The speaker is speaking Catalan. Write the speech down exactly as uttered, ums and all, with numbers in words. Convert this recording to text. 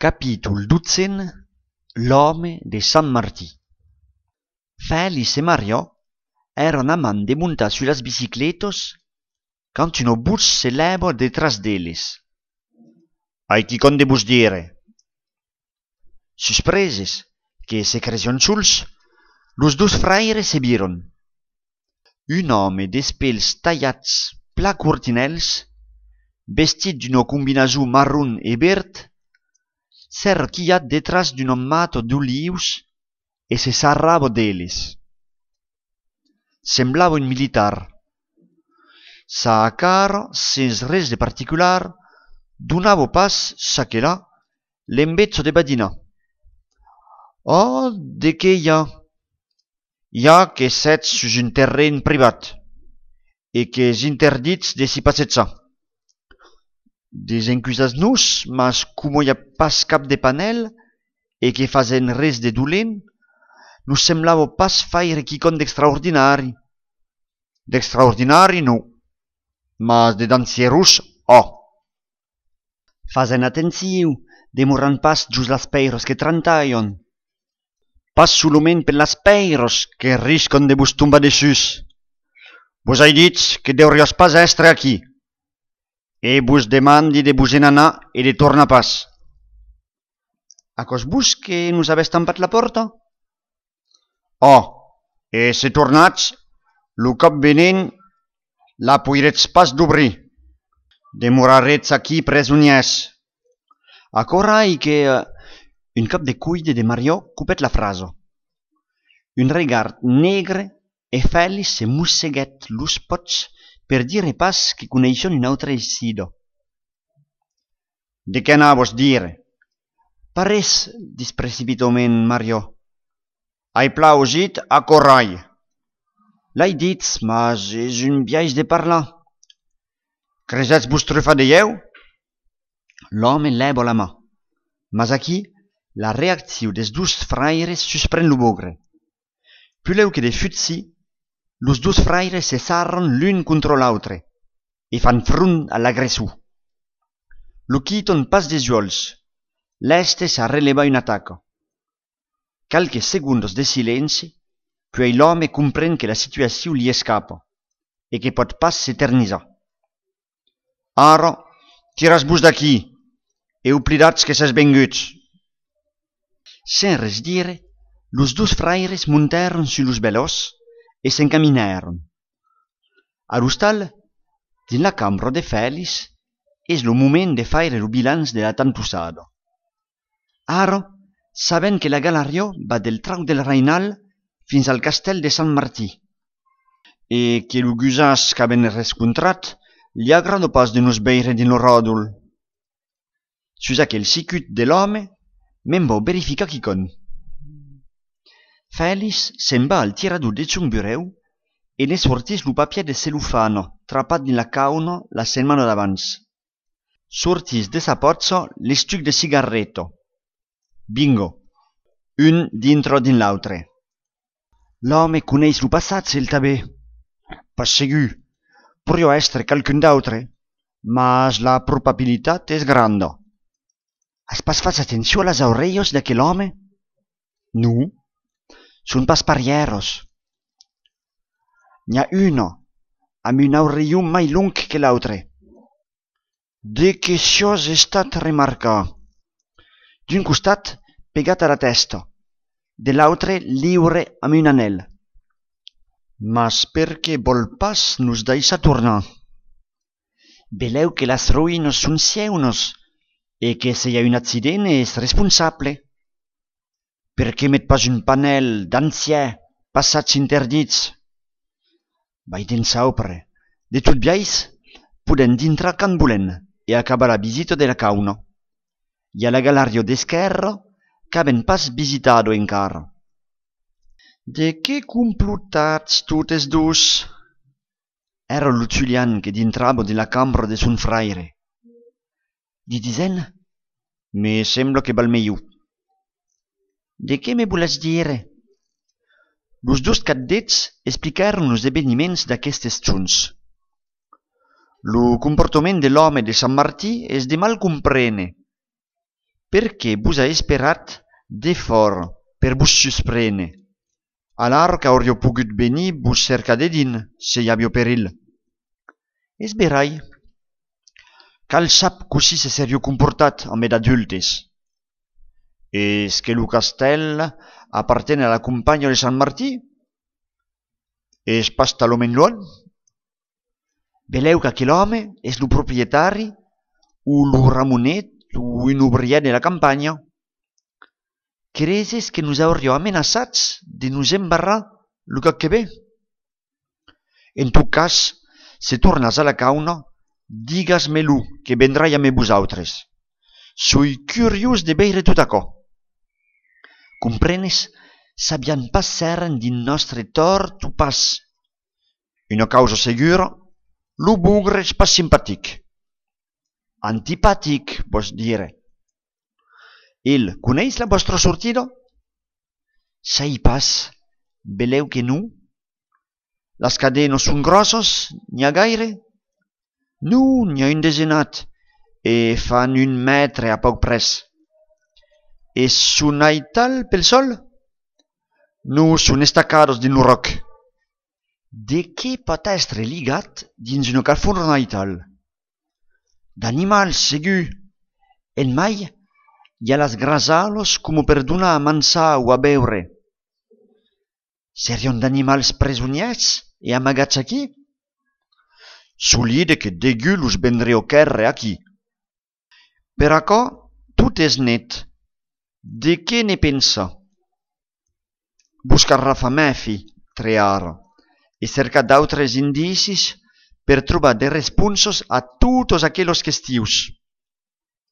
Capítol dotzin. L'home de Sant Martí. Félix et Mario eran amant de montar sur las bicicletos quand un bus se leva detrás d'elles. «Ai quicón de vos dire?» Suspreses que se cresion sols, los dos fraires se viron. Un home d'espels tallats pla curtinels, vestit d'una combinació marron e verd, s'arquillat detrás d'un mato d'olius e se sarrava d'elles. Semblava un militar. Sa cara, sens res de particular, donava pas, ça que là, l'embezzo de badina. «Oh, de què hi ha?» «Hi ha que sètz sus un terreny privat, e que és interdits de s'hi passejar. Desencusatz-nos, mas como hi ha pas cap de panel, e que fazen res de dolent, nos semblava pas faire quicón d'extraordinari. D'extraordinari, no, mas de dansierus, oh!» «Fazen atentiu, demoran pas just las peiros que trantaion. Pas soloment per las peiros que riscon de vos tombar dessus. Vos hai dit que deurios pas estre aquí, e vos demandi de vos en anar e de tornar pas. Acos vos que nos avès tampat la porta?» «Oh, e se tornatz, lo cop venent la poiretz pas d'obrir. Demoraretz aquí presoniers.» Acorai que uh, un cop de cuide de Mario cupet la fraso. Un regard negre e Félix se musseguet los pots per dire pas que coneixon un autre sido. «De què anavos dire?» «Parés», dis precipitament Mario. «Hai plausit a Corai.» «L'hai dit, mas és un biaix de parlar.» «Cresetz vos trufa de lleu?» L'home leva la mà, mas aquí la reacció des dos fraires suspren lo bogre. Puleu que de futsi, los dos fraires se sarran l'un contra l'autre e fan front a l'agressor. Lo quiton pas des uols, l'este sa releva un ataco. Calques segundos de silenci, puis l'home comprèn que la situació li escapa e que pot pas s'eternizar. «Ara, tiras-vos d'aquí e oblidatz que s'és venguts.» Sen res dire, los dos fraires montaron sur los velos e s'encaminaron. A l'hostal, din la cambra de Félix, és lo moment de faire lo bilanç de la tantussada. Ara, saben que la galeria va del trau del Reinal fins al castell de Sant Martí, e que lo gusàs qu'aven rescontrat li agrada pas de nos veire din lo ròdol. Sus aquel sicut de l'home, me'n vau verificar quicón. Félix se'n va al tirador de son bureu e ne sortís lo papier de celofano trapat din la cauna la setmana d'abans. Sortís de sa pozza l'estuc de cigarretto. Bingo, un dintre din l'autre. L'home coneix lo passat el tabè. Pas segur, porio estre calcun d'autre, mas la probabilitat és granda. Has pas fatz atenció a las orellos d'aquel home? No, son pas parieros. N'hi ha una amb un orelló mai long que l'altre. De què chose he estat a remarcar? D'un costat pegat a la testa, de l'altre lliure amb un anel. Mas per què vol pas nos deixar tornar? Veleu que las ruïnes són seunes e que si hi ha un accident és responsable. Per què met pas un panel d'ancià passats interdits? Vai den saupre. De tot biais, podem dintrar can volen e acabar la visita de la cauna. Hi ha la galeria d'esquerra qu'aven pas visitado encara. De què complotatz totes dos? Era lo Julian que dintrava de la cambra de son fraire. Di disen? Me sembla que val millor. De què me voles dire? Los dos cadets explicaron los eveniments d'aquestes junts. Lo comportament de l'home de Sant Martí és de mal comprene. perché vos ha esperat de fort per vos susprene. Alar qu'aurio pogut venir vos cercar de din, se hi havia perill. És verai. Cal sap così se serio comportat amb ed adultes. Es que lo castell appartene a la compagna de Sant Martí? Es pas talament luan? Veleu que aquell home és lo proprietari o lo ramonet o un obrier de la campanya. Creses que nos hauríeu amenaçats de nos embarrar lo que ve? En tot cas, se tornas a la cauna, digas-me-lo, que vendrai amb vosaltres. Soi curiós de veure tot açò. Comprenes? Sabiam pas seren din nostre tort o pas. Una causa segura, lo bugre és pas simpatic. Antipatic, vos dire. Il coneix la vostra sortida? Sai pas, veleu que no? Les cadenes són grosses, n'hi ha gaire? No, n'hi ha un desenat, e fan un metre a poc pres. E són aital pel sol? No, són estacados din lo roc. De què pot estre ligat dins una carfona aital? D'animals, segur. En mai hi ha les grasalos com per donar a mansar o a beure. Serion d'animals presoniers e amagats aquí? Solide que degut los vendreu querre aquí. Per açò, tot és net. De què ne pensa? Buscar Rafa Mefi, treara, e cercar d'altres indicis per trobar de responsos a tots aquells questius.